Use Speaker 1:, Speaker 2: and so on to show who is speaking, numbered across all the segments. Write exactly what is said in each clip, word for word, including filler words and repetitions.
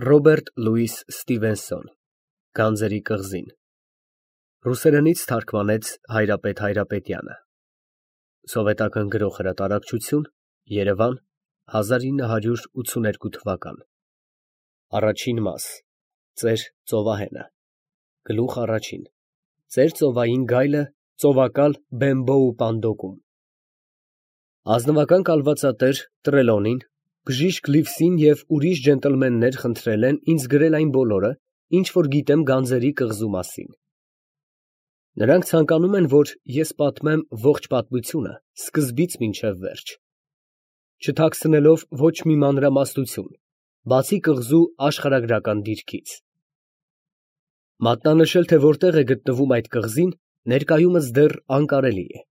Speaker 1: Ռոբերտ Լուիս Ստիվենսոն Գանձերի կղզին Ռուսերենից թարգմանեց Հայրապետ Հայրապետյանը Սովետական գրող հրատարակչություն Երևան հազար ինը հարյուր ութսուներկու թվական Առաջին մաս Ծեր ծովահենը Գլուխ առաջին Ծեր ծովային գայլը ծովակալ Բեմբոու Պանդոկում Ազնվական կալվածատեր Տրելոնին Բժիշկ Լիվսին և ուրիշ ջենտլմեններ խնդրել են ինձ գրել այն բոլորը, ինչ որ գիտեմ Գանձերի կղզու մասին։ Նրանք ցանկանում են, որ ես պատմեմ ողջ պատմությունը, սկզբից մինչև վերջ, չթաքցնելով ոչ մի մանրամասնություն, բացի կղզու աշխարհագրական դիրքից։ Մատնանշել, թե որտեղ է գտնվում այդ կղզին, ներկայումս դեռ անկարելի է,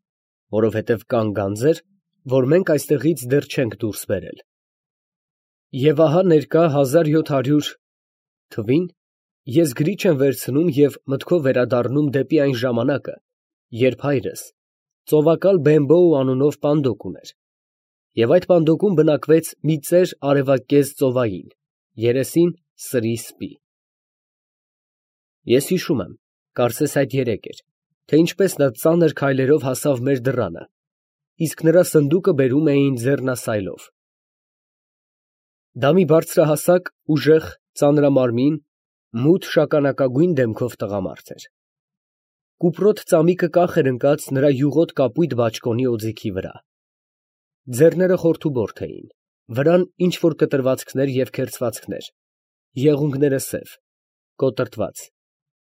Speaker 1: որովհետև կան գանձեր, որ մենք այստեղից դեռ չենք դուրս բերել։ Եվ ահա ներկա հազար յոթ հարյուր թվին ես գրիչ եմ վերցնում և մտքով վերադառնում դեպի այն ժամանակը, երբ հայրս ծովակալ Բեմբոու անունով պանդոկ ուներ, և այդ պանդոկում բնակվեց մի ծեր արևակեզ ծովային, երեսին սրի սպի։ Ես հիշում եմ, կարծես այդ երեկ էր, թե ինչպես նա ծանր քայլերով հասավ մեր դռանը, իսկ նրա սնդուկը բերում էին ձեռնասայլով։ Դա մի բարձրահասակ, ուժեղ, ծանրամարմին, մութ շագանակագույն դեմքով տղամարդ էր։ Կուպրոտ ծամիկը կախ էր ընկած նրա յուղոտ կապույտ բաճկոնի օձիքի վրա։ Ձեռները խորթուբորթ էին, վրան ինչ֊որ կտրվածքներ և քերծվածքներ, եղունգները սև, կոտրտված,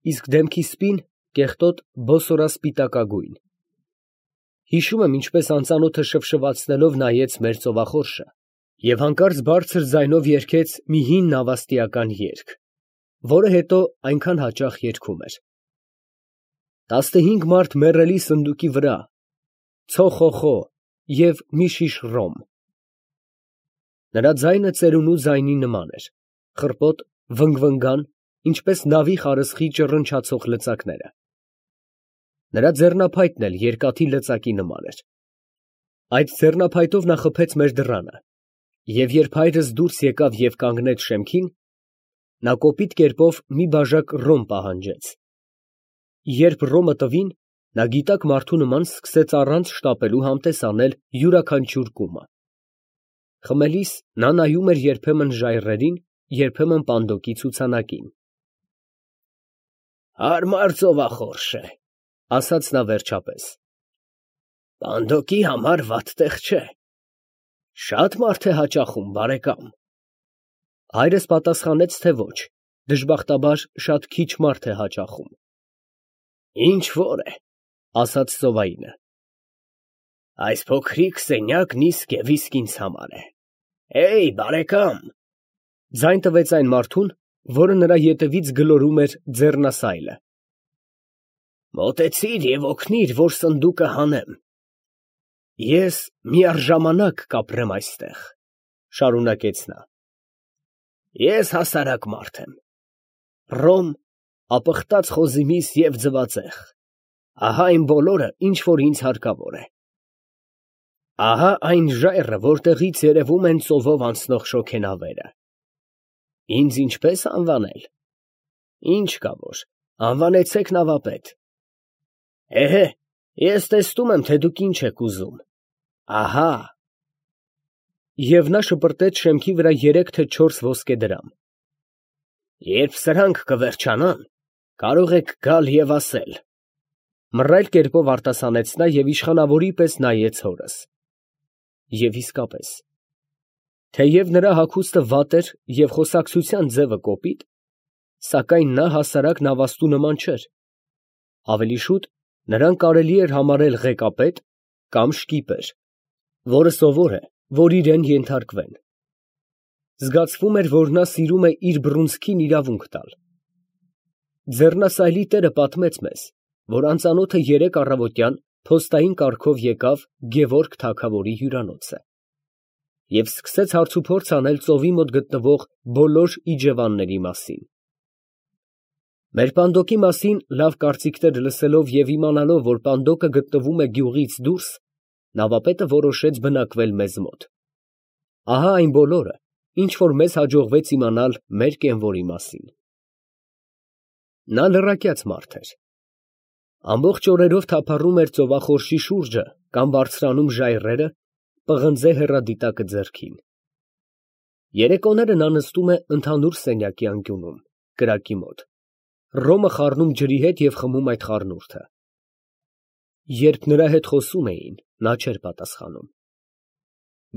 Speaker 1: իսկ դեմքի սպին կեղտոտ բոսորասպիտակագույն։ Հիշում եմ, ինչպես անծանոթը շվշվացնելով նայեց մեր ծովախորշը և հանկարծ բարձր ձայնով երգեց մի հին նավաստիական երգ, որը հետո այնքան հաճախ երգում էր. Տասնհինգ մարդ մեռելի սնդուկի վրա, ցո խո խո և մի շիշ ռոմ։ Նրա ձայնը ծերունու ձայնի նման էր, խռպոտ, վնգվնգան, ինչպես նավի խարսխի ճռնչացող լծակները։ Նրա ձեռնափայտն էլ երկաթի լծակի նման էր։ Այդ ձեռնափայտով նա խփեց մեր դռանը, և երբ հայրս դուրս եկավ և կանգնեց շեմքին, նա կոպիտ կերպով մի բաժակ ռոմ պահանջեց։ Երբ ռոմը տվին, նա գիտակ մարդու նման սկսեց առանց շտապելու համտես անել յուրաքանչյուր կումը։ Խմելիս նա նայում էր երբեմն ժայռերին, երբեմն պանդոկի ցուցանակին։ Հարմար ծովախորշ է, ասաց նա վերջապես։ Պանդոկի համար վատ տեղ չէ։ Շատ մարդ է հաճախում, բարեկամ։ Հայրս պատասխանեց, թե ոչ, դժբախտաբար շատ քիչ մարդ է հաճախում։ Ինչ որ է, ասաց ծովայինը։ Այս փոքրիկ սենյակն իսկ և իսկ ինձ համար է։ Էյ, բարեկամ։ Ձայն տվեց այն մարդուն, որը նրա ետևից գլորում էր ձեռնասայլը։ Մոտեցիր և օգնիր, որ սնդուկը հանեմ։ Ես միառժամանակ կապրեմ այստեղ, շարունակեց նա։ Ես հասարակ մարդ եմ։ Ռոմ, ապխտած խոզիմիս և ձվածեղ։ Ահա այն բոլորը, ինչ որ ինձ հարկավոր է։ Ահա այն ժայռը, որտեղից երևում են ծովով անցնող շոգենավերը։ Ինձ ինչպես անվանել։ Ինչ կա որ, անվանեցեք նավապետ։ Էհե, ես տեսնում եմ, թե դուք ինչ եք ուզում։ Ահա։ Եվ նա շպրտեց շեմքի վրա երեք թե չորս ոսկե դրամ։ Երբ սրանք կվերջանան, կարող եք գալ և ասել։ Մռայլ կերպով արտասանեց նա և իշխանավորի պես նայեց հորս։ Եվ իսկապես, թեև նրա հագուստը վատ էր և խոսակցության ձևը կոպիտ, սակայն նա հասարակ նավաստու նման չէր։ Ավելի շուտ նրան կարելի էր համարել ղեկապետ կամ շկիպեր, որը սովոր է, որ իրեն ենթարկվեն։ Զգացվում էր, որ նա սիրում է իր բռունցքին իրավունք տալ։ Ձեռնասայլի տերը պատմեց մեզ, որ անծանոթը երեկ առավոտյան փոստային կարգով եկավ Գևորգ թագավորի հյուրանոցը և սկսեց հարցուփորձ անել ծովի մոտ գտնվող բոլոր իջևանների մասին։ Մեր պանդոկի մասին լավ կարծիքներ լսելով և իմանալով, որ պանդոկը գտնվում է գյուղից դուրս, նավապետը որոշեց բնակվել մեզ մոտ։ Ահա այն բոլորը, ինչ որ մեզ հաջողվեց իմանալ մեր կենվորի մասին։ Նա լռակյաց մարդ էր։ Ամբողջ օրերով թափառում էր ծովախորշի շուրջը կամ բարձրանում ժայռերը, պղնձե հեռադիտակը ձեռքին։ Երեկոները նա նստում է ընդհանուր սենյակի անկյունում, կրակի մոտ, ռոմը խառնում ջրի հետ և խմում այդ խառնուրդը։ Երբ նրա հետ խոսում էին, նա չէր պատասխանում։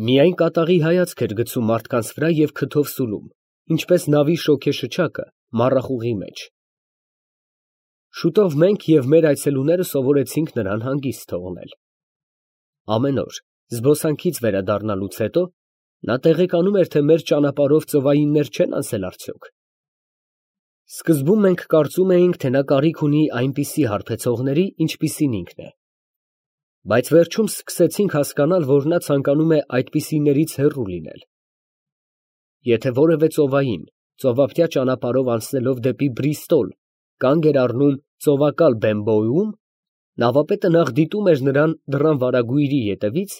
Speaker 1: Միայն կատաղի հայացք էր գցում մարդկանց վրա և քթով սուլում, ինչպես նավի շոգեշչակը մառախուղի մեջ։ Շուտով մենք և մեր այցելուները սովորեցինք նրան հանգիստ թողնել։ Ամեն օր, զբոսանքից վերադառնալուց հետո, նա տեղեկանում էր, թե մեր ճանապարհով ծովայիններ չեն անցել արդյոք։ Սկզբում մենք կարծում էինք, թե նա կարիք ունի այնպիսի հարբեցողների, ինչպիսին ինքն է։ Բայց վերջում սկսեցինք հասկանալ, որ նա ցանկանում է այդպիսիներից հեռու լինել։ Եթե որևէ ծովային ծովափնյա ճանապարհով անցնելով դեպի Բրիստոլ կանգ էր առնում ծովակալ Բեմբոյում, նավապետը նախ դիտում էր նրան դռան վարագույրի ետևից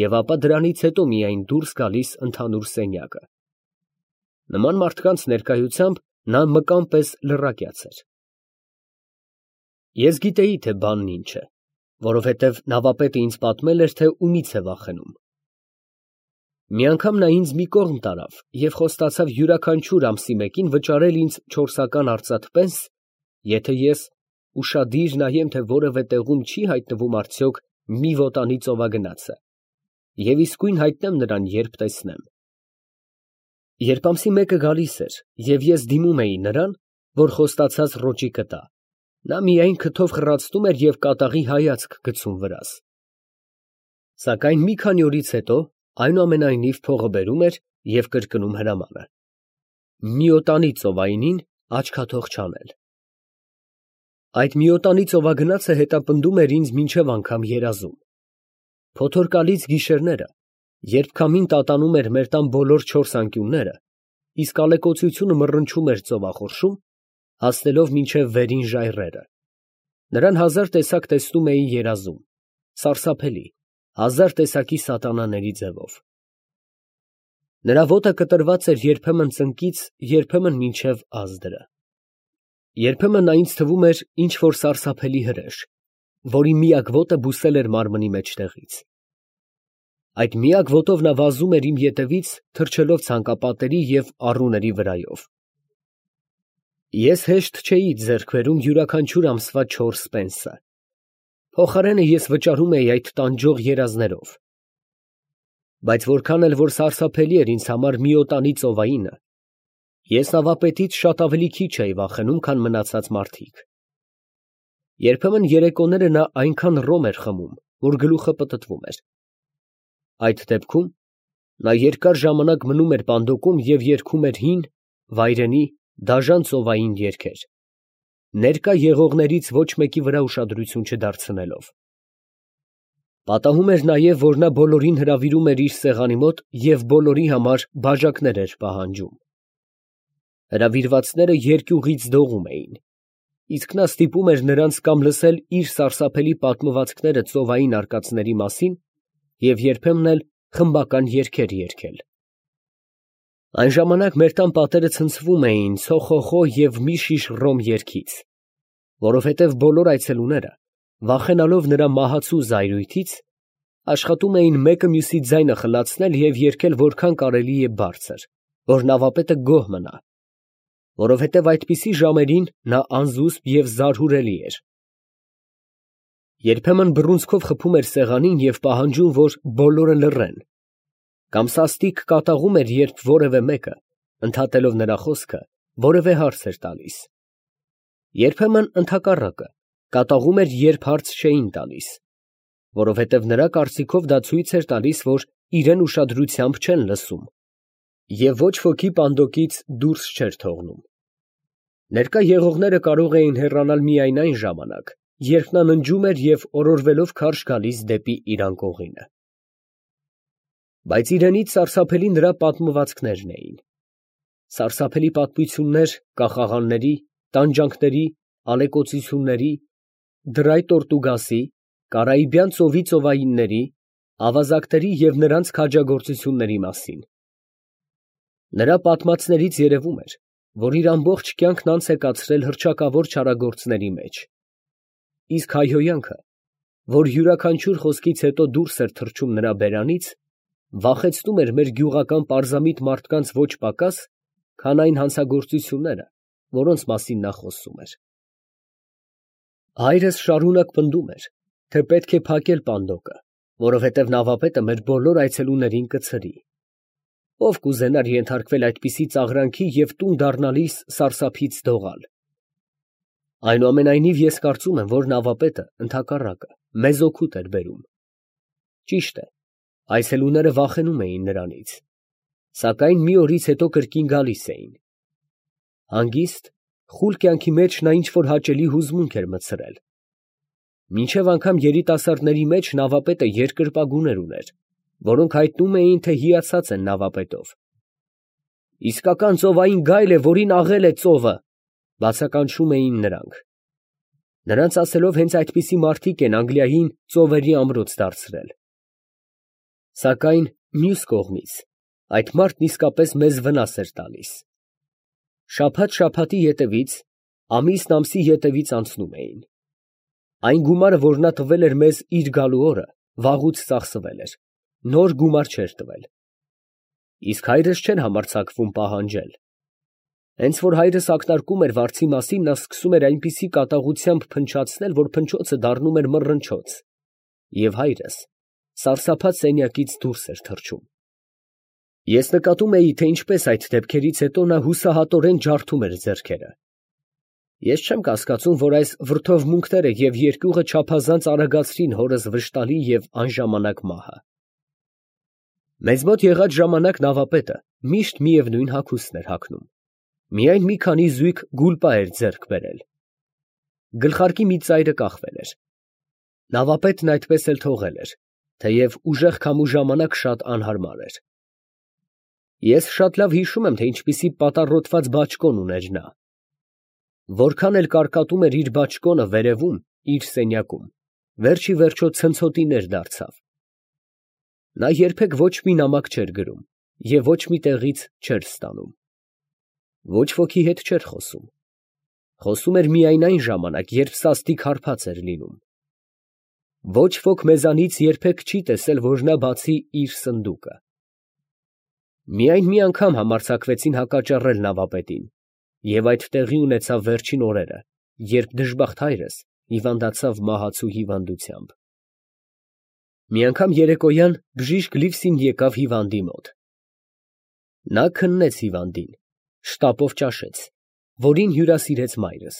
Speaker 1: և ապա դրանից հետո միայն դուրս գալիս ընդհանուր սենյակը։ Նման մարդկանց ներկայությամբ նա մկան պես լռակյաց էր։ Ես գիտեի, թե բանն ինչ է, որովհետև նավապետը ինձ պատմել էր, թե ումից է վախենում։ Մի անգամ նա ինձ մի կողմ տարավ և խոստացավ յուրաքանչյուր ամսի մեկին վճարել ինձ չորսական արծաթ պենս, եթե ես ուշադիր նայեմ, թե որևէ տեղում չի հայտնվում արդյոք մի վոտանի ծովագնացը, և իսկույն հայտնեմ նրան, երբ տեսնեմ։ Երբ ամսի մեկը գալիս էր, և ես դիմում էի նրան, որ խոստացած ռոճիկը տա, նա միայն քթով խռացնում էր և կատաղի հայացք գցում վրաս։ Սակայն մի քանի օրից հետո, այնուամենայնիվ, փողը բերում էր և կրկնում հրամանը. միոտանի ծովայինին աչքաթող չանել։ Այդ միոտանի ծովագնացը հետապնդում էր ինձ մինչև անգամ երազում։ Փոթորկալից գիշերները, երբ քամին տատանում էր մեր տան բոլոր չորս անկյունները, իսկ ալեկոծությունը մռնչում էր ծովախորշում, հասնելով մինչև վերին ժայռերը, նրան հազար տեսակ տեսնում էի երազում, սարսափելի, հազար տեսակի սատանաների ձևով։ Նրա ոտը կտրված էր երբեմն ծնկից, երբեմն մինչև ազդրը։ Երբեմն նա ինձ թվում էր ինչ֊որ սարսափելի հրեշ, որի միակ ոտը բուսել էր մարմնի մեջտեղից։ Այդ միակ ոտով նա վազում էր իմ ետևից, թռչելով ցանկապատերի և առուների վրայով։ Ես հեշտ չէի ձեռք բերում յուրաքանչյուր ամսվա չորս պենսը։ Փոխարենը ես վճարում էի այդ տանջող երազներով։ Բայց որքան էլ որ սարսափելի էր ինձ համար միոտանի ծովայինը, ես նավապետից շատ ավելի քիչ էի վախենում, քան մնացած մարդիկ։ Երբեմն երեկոները նա այնքան ռոմ էր խմում, որ գլուխը պտտվում էր։ Այդ դեպքում նա երկար ժամանակ մնում էր պանդոկում և երգում էր հին, վայրենի, դաժան ծովային երգեր, ներկա եղողներից ոչ մեկի վրա ուշադրություն չդարձնելով։ Պատահում էր նաև, որ նա բոլորին հրավիրում էր իր սեղանի մոտ և բոլորի համար բաժակներ էր պահանջում։ Հրավիրվածները երկյուղից դողում էին, իսկ նա ստիպում էր նրանց կամ լսել իր սարսափելի պատմվածքները ծովային արկածների մասին և երբեմն էլ խմբական երգեր երգել։ Այն ժամանակ մեր տան պատերը ցնցվում էին ցոխոխո և մի շիշ ռոմ երգից, որովհետև բոլոր այցելուները, վախենալով նրա մահացու զայրույթից, աշխատում էին մեկը մյուսի ձայնը խլացնել և երգել որքան կարելի է բարձր, որ նավապետը գոհ մնա, որովհետև այդպիսի ժամերին նա անզուսպ և զարհուրելի էր։ Երբեմն բռունցքով խփում էր սեղանին և պահանջում, որ բոլորը լռեն, կամ սաստիկ կատաղում էր, երբ որևէ մեկը, ընդհատելով նրա խոսքը, որևէ հարց էր տալիս։ Երբեմն ընդհակառակը, կատաղում էր, երբ հարց չէին տալիս, որովհետև նրա կարծիքով դա ցույց էր տալիս, որ իրեն ուշադրությամբ չեն լսում և ոչ ոքի պանդոկից դուրս չէր թողնում։ Ներկա եղողները կարող էին հեռանալ միայն այն ժամանակ, երբ նա ննջում էր և օրորվելով քարշ գալիս դեպի իր անկողինը։ Բայց իրենից սարսափելի նրա պատմվածքներն էին։ Սարսափելի պատմություններ կախաղանների, տանջանքների, ալեկոծությունների, դրայ Տորտուգասի, Կարիբյան ծովի ծովայինների, ավազակների և նրանց քաջագործությունների մասին։ Նրա պատմածներից երևում էր, որ իր ամբողջ կյանքն անց է կացրել հռչակավոր չարագործների մեջ, իսկ հայհոյանքը, որ յուրաքանչյուր խոսքից հետո դուրս էր թռչում նրա բերանից, վախեցնում էր մեր գյուղական պարզամիտ մարդկանց ոչ պակաս, քան այն հանցագործությունները, որոնց մասին նա խոսում էր։ Հայրս շարունակ պնդում էր, թե պետք է փակել պանդոկը, որովհետև նավապետը մեր բոլոր այցելուներին կցրի։ Ով կուզենար ենթարկվել այդպիսի ծաղրանքի և տուն դառնալիս սարսափից դողալ։ Այնուամենայնիվ ես կարծում եմ, որ նավապետը, ընդհակառակը, մեզ օգուտ էր բերում։ Ճիշտ է, այցելուները վախենում էին նրանից, սակայն մի օրից հետո կրկին գալիս էին։ Հանգիստ, խուլ կյանքի մեջ նա ինչ-որ հաճելի հուզմունք էր մտցրել։ Մինչև անգամ երիտասարդների մեջ նավապետը երկրպագուներ ուներ, որոնք հայտնում էին, թե հիացած են նավապետով։ «Իսկական ծովային գայլ է, որին աղել է ծովը», բացականչում էին նրանք։ Նրանց ասելով հենց այդպիսի մարդիկ են Անգլիային ծովերի ամրոց դարձրել։ Սակայն մյուս կողմից այդ մարդն իսկապես մեզ վնաս էր տալիս։ Շաբաթ շաբաթի ետևից, ամիսն ամսի ետևից անցնում էին։ Այն գումարը, որ նա տվել էր մեզ իր գալու օրը, վաղուց ծախսվել էր, նոր գումար չէր տվել։ Իսկ հայրս չէր համարձակվում պահանջել։ Հենց որ հայրս ակնարկում էր վարձի մասին, նա սկսում էր այնպիսի կատաղությամբ փնչացնել, որ փնչոցը դառնում էր մռնչոց, և հայրս սարսափած սենյակից դուրս էր թռչում։ Ես նկատում էի, թե ինչպես այդ դեպքերից հետո նա հուսահատորեն ջարդում էր ձեռքերը։ Ես չեմ կասկածում, որ այս վրդովմունքները և երկյուղը չափազանց արագացրին հորս վշտալի և անժամանակ մահը։ Մեզ մոտ եղած ժամանակ նավապետը միշտ միևնույն հագուստն էր հագնում, միայն մի քանի զույգ գուլպա էր ձեռք բերել։ Գլխարկի մի ծայրը կախվել էր։ Նավապետն այդպես էլ թողել էր, թեև ուժեղ քամու ժամանակ շատ անհարմար էր։ Ես շատ լավ հիշում եմ, թե ինչպիսի պատառոտված բաճկոն ուներ նա։ Որքան էլ կարկատում էր իր բաճկոնը վերևում, իր սենյակում, վերջի վերջո ցնցոտիներ դարձավ։ Նա երբեք ոչ մի նամակ չէր գրում և ոչ մի տեղից չէր ստանում։ Ոչ ոքի հետ չէր խոսում։ Խոսում էր միայն այն ժամանակ, երբ սաստիկ հարբած էր լինում։ Ոչ ոք մեզանից երբեք չի տեսել, որ նա բացի իր սնդուկը։ Միայն մի անգամ համարձակվեցին հակաճառել նավապետին, և այդ տեղի ունեցավ վերջին օրերը, երբ դժբախտ հայրս հիվանդացավ մահացու հիվանդությամբ։ Մի անգամ երեկոյան բժիշկ Լիվսին եկավ հիվանդի մոտ։ Նա քննեց հիվանդին, շտապով ճաշեց, որին հյուրասիրեց մայրս։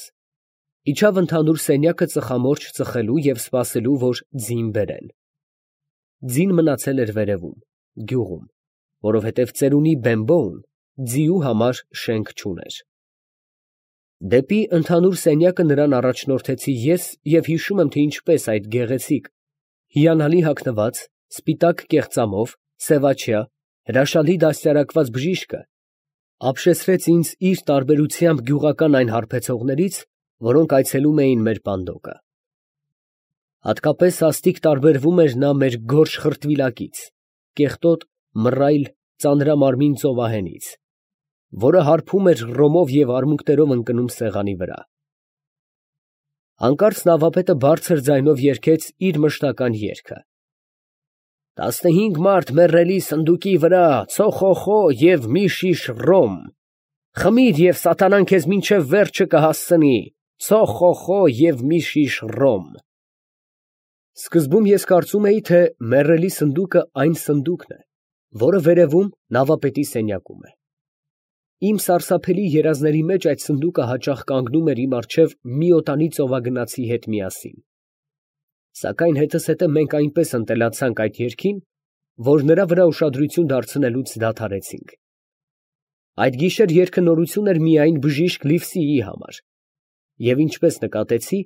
Speaker 1: Իջավ ընդհանուր սենյակը ծխամորճ ծխելու և սպասելու, որ ձին բերեն։ Ձին մնացել էր վերևում, գյուղում, որովհետև ծերունի Բեմբոուն ձիու համար շենք չուներ։ Դեպի ընդհանուր սենյակը նրան առաջնորդեցի ես և հիշում եմ, թե ինչպես այդ գեղեցիկ, հիանալի հագնված, սպիտակ կեղծամով, սևաչյա, հրաշալի դաստիարակված բժիշկը ապշեցրեց ինձ իր տարբերությամբ գյուղական այն հարբեցողներից, որոնք այցելում էին մեր պանդոկը։ Հատկապես սաստիկ տարբերվում էր նա մեր գորշ խրտվիլակից, կեղտոտ, մռայլ, ծանրամարմին ծովահենից, որը հարբում էր ռոմով և արմունկներով ընկնում սեղանի վրա։ Հանկարծ նավապետը բարձր ձայնով երգեց իր մշտական երգը. «Տասնհինգ մարդ մեռելի սնդուկի վրա, ցո՛խոխո և մի շիշ ռոմ, խմիր և սատանան քեզ մինչև վերջը կհասցնի, ցո՛խոխո և մի շիշ ռոմ»։ Սկզբում ես կարծում էի, թե մեռելի սնդուկը այն սնդուկն է, որը վերևում նավապետի սենյակում է։ Իմ սարսափելի երազների մեջ այդ սնդուկը հաճախ կանգնում էր իմ առջև մի օտանի ծովագնացի հետ միասին։ Սակայն հետզհետե մենք այնպես ընտելացանք այդ երգին, որ նրա վրա ուշադրություն դարձնելուց դադարեցինք։ Այդ գիշեր երգը նորություն էր միայն բժիշկ Լիվսիի համար, և ինչպես նկատեցի,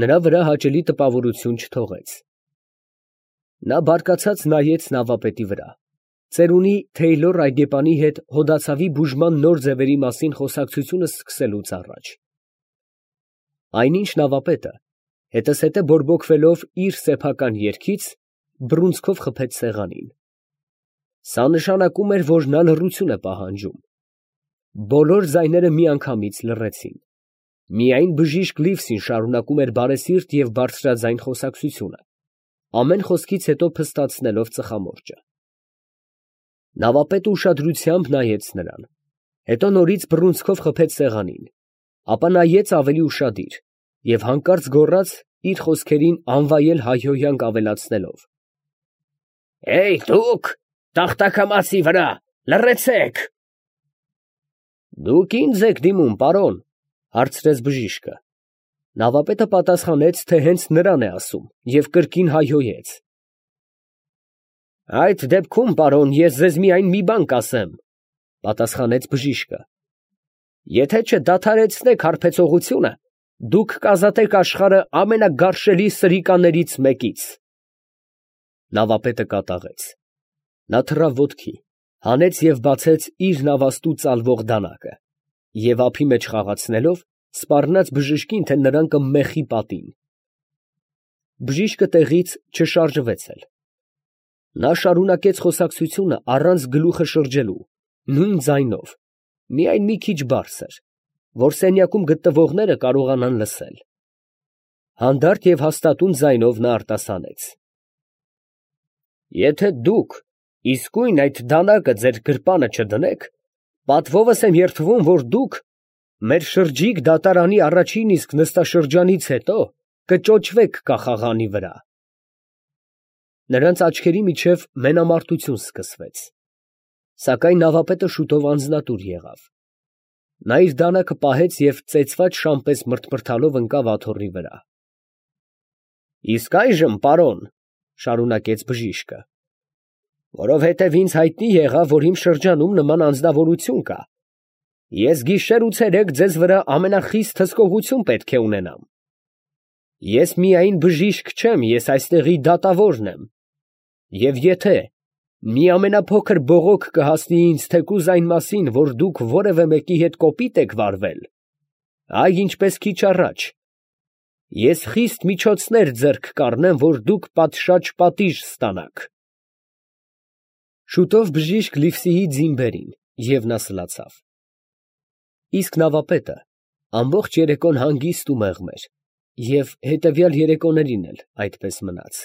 Speaker 1: նրա վրա հաճելի տպավորություն չթողեց։ Նա բարկացած նայեց նավապետի վրա, ծերունի Թեյլոր այգեպանի հետ հոդացավի բուժման նոր ձևերի մասին խոսակցությունը սկսելուց առաջ։ Այնինչ նավապետը, հետզհետե բորբոքվելով իր սեփական երգից, բռունցքով խփեց սեղանին։ Սա նշանակում էր, որ նա լռություն է պահանջում։ Բոլոր ձայները միանգամից լռեցին։ Միայն բժիշկ Լիվսին շարունակում էր բարեսիրտ և բարձրաձայն խոսակցությունը, ամեն խոսքից հետո փստացնելով ծխամորճը։ Նավապետը ուշադրությամբ նայեց նրան, հետո նորից բռունցքով խփեց սեղանին, ապա նայեց ավելի ուշադիր և հանկարծ գոռաց, իր խոսքերին անվայել հայհոյանք ավելացնելով. «Հեյ, դուք, տախտակամածի վրա, լռեցեք»։ «Դուք ինձ եք դիմում, պարոն», հարցրեց բժիշկը։ Նավապետը պատասխանեց, թե հենց նրան է ասում, և կրկին հայհոյեց. «Այդ դեպքում, պարոն, ես ձեզ միայն մի բան կասեմ», պատասխանեց բժիշկը. «եթե չդադարեցնեք հարբեցողությունը, դուք կազատեք աշխարհը ամենագարշելի սրիկաներից մեկից»։ Նավապետը կատաղեց։ Նա թռավ ոտքի, հանեց և բացեց իր նավաստու ծալվող դանակը և ափի մեջ խաղացնելով, սպառնաց բժշկին, թե նրան կմեխի պատին։ Բժիշկը տեղից չշարժվեց էլ։ Նա շարունակեց խոսակցությունը առանց գլուխը շրջելու, նույն ձայնով, միայն մի քիչ բարձր, որ սենյակում գտնվողները կարողանան լսել։ Հանդարտ և հաստատուն ձայնով նա արտասանեց. «Եթե դուք իսկույն այդ դանակը ձեր գրպանը չդնեք, պատվովս եմ երդվում, որ դուք մեր շրջիկ դատարանի առաջին իսկ նստաշրջանից հետո կճոճվեք կախաղանի վրա»։ Նրանց աչքերի միջև մենամարտություն սկսվեց, սակայն նավապետը շուտով անձնատուր եղավ։ Նա իր դանակը պահեց և ծեծված շան պես մրթմրթալով ընկավ աթոռի վրա։ «Իսկ այժմ, պարոն, ֊ շարունակեց բժիշկը, ֊ որովհետև ինձ հայտնի եղավ, որ իմ շրջանում նման անձնավորություն կա, ես գիշեր ու ցերեկ ձեզ վրա ամենախիստ հսկողություն պետք է ունենամ։ Ես միայն բժիշկ չեմ, ես այստեղի դատավորն եմ, և եթե մի ամենափոքր բողոք կհասնի ինձ թեկուզ այն մասին, որ դուք որևէ մեկի հետ կոպիտ եք վարվել, այ ինչպես քիչ առաջ, ես խիստ միջոցներ ձեռք կառնեմ, որ դուք պատշաճ պատիժ ստանաք»։ Շուտով բժիշկ Լիվսիի ձին բերին, և նա սլացավ։ Իսկ նավապետը ամբողջ երեկոն հանգիստ ու մեղմ էր, և հետևյալ երեկոներին էլ այդպես մնաց։